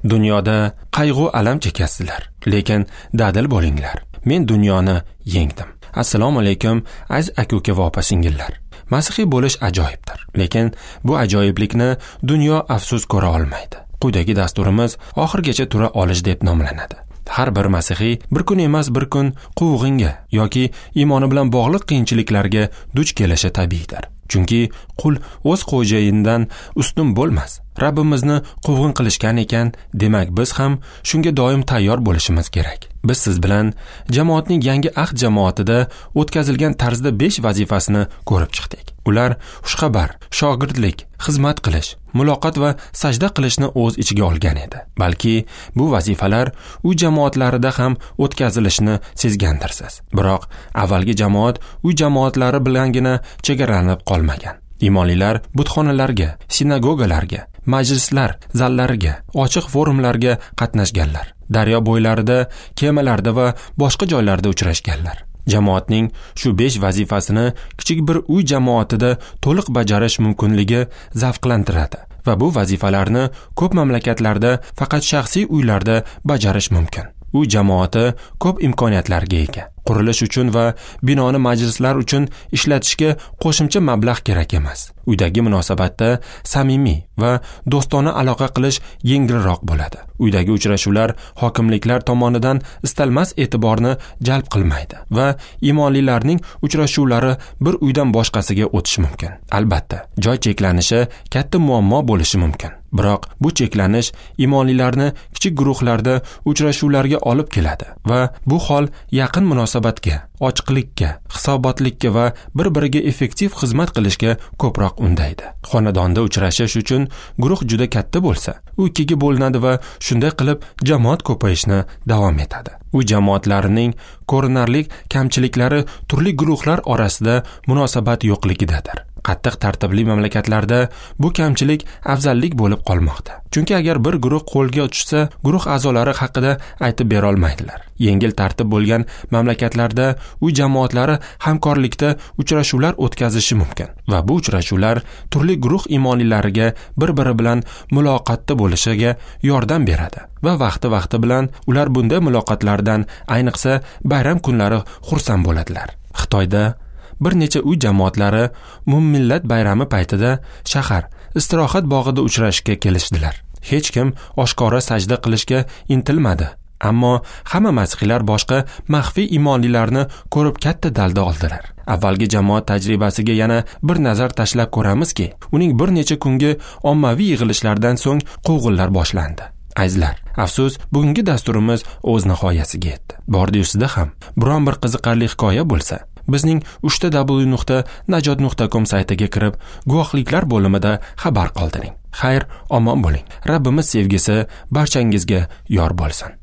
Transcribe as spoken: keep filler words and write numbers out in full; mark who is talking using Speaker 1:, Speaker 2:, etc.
Speaker 1: Dunyoda qayg'u alam chekasizlar, lekin dadil bo'linglar. Men dunyoni yengdim. Assalomu alaykum, aziz aka-uka va opa-singillar. Masihiy bo'lish ajoyibdir, lekin bu ajoyiblikni dunyo afsus ko'ra olmaydi. Quyidagi dasturimiz oxirgacha tura olish deb nomlanadi. Har bir masihiy bir kun emas bir kun quvg'inga yoki iymoni bilan bog'liq qiyinchiliklarga duch kelishi tabiiydir. Chunki qul o'z xo'jayinidan ustun bo'lmas. Rabbimizni quvg'in qilishgan ekan, demak biz ham shunga doim tayyor bo'lishimiz kerak. Biz siz bilan jamoatning yangi ahd jamoatida o'tkazilgan tarzda besh vazifasini ko'rib chiqdik. Ular xushxabar, shogirdlik, xizmat qilish, muloqot va sajda qilishni o'z ichiga olgan edi. Balki bu vazifalar u jamoatlarida ham o'tkazilishini sezgandirsiz. Biroq avvalgi jamoat u jamoatlari bilangina chegaralanib qolmagan. Imonlilar butxonalarga, sinagogalarga, majlislar zallariga, ochiq forumlarga qatnashganlar. Daryo bo'ylarida, kemalarda va boshqa joylarda uchrashganlar. Jamoatning shu besh vazifasini kichik bir uy jamoatida to'liq bajarish mumkinligi zavqlantiradi va bu vazifalarni ko'p mamlakatlarda faqat shaxsiy uylarda bajarish mumkin. Uy jamoati ko'p imkoniyatlarga ega. Qurilish uchun va binoni majlislar uchun ishlatishga qo'shimcha mablag' kerak emas. Uydagi munosabatda samimiy va do'stona aloqa qilish yengilroq bo'ladi. Uydagi uchrashuvlar hokimliklar tomonidan istalmas e'tiborni jalb qilmaydi va imonlilarning uchrashuvlari bir uydan boshqasiga o'tishi mumkin. Albatta, joy cheklanishi katta muammo bo'lishi mumkin. Biroq bu cheklanish imonlilarni kichik guruhlarda uchrashuvlarga olib keladi va bu hol yaqin munosabatga, ochiqlikka, hisobotlikka va bir-biriga effektiv xizmat qilishga ko'proq undaydi. Xonadonda uchrashish uchun guruh juda katta bo'lsa, u ikkiga bo'linadi va shunday qilib jamoat ko'payishni davom etadi. U jamoatlarining ko'rinarli kamchiliklari turli guruhlar orasida munosabat yo'qligidadir. Qattiq tartibli mamlakatlarda bu kamchilik afzallik bo'lib qolmoqda. Chunki agar bir guruh qo'lga tushsa, guruh a'zolari haqida aytib bera olmaydilar. Yengil tartib bo'lgan mamlakatlarda uy jamoatlari hamkorlikda uchrashuvlar o'tkazishi mumkin va bu uchrashuvlar turli guruh imonlilariga bir-biri bilan muloqotda bo'lishiga yordam beradi va vaqti-vaqti bilan ular bunday muloqotlardan ayniqsa bayram kunlari xursand bo'ladilar. Xitoyda bir necha uy jamoatlari umummillat bayrami paytida shahar istirohat bog'ida uchrashishga kelishdilar. Hech kim oshkora sajda qilishga intilmadi, ammo hamma masihiylar boshqa maxfiy imonlilarni ko'rib katta dalda oldilar. Avvalgi jamoat tajribasiga yana bir nazar tashlab ko'ramizki, uning bir necha kungi ommaviy yig'ilishlardan so'ng quvg'inlar boshlandi. Azizlar, afsus, bugungi dasturimiz o'z nihoyasiga yetdi. Bordi-yusida ham biron bir qiziqarli hikoya bo'lsa, bizning uchta w nuqta najot nuqta com saytiga kirib, guvohliklar bo'limida xabar qoldiring. Xayr, omon bo'ling. Rabbimiz sevgisi barchangizga yor bo'lsin.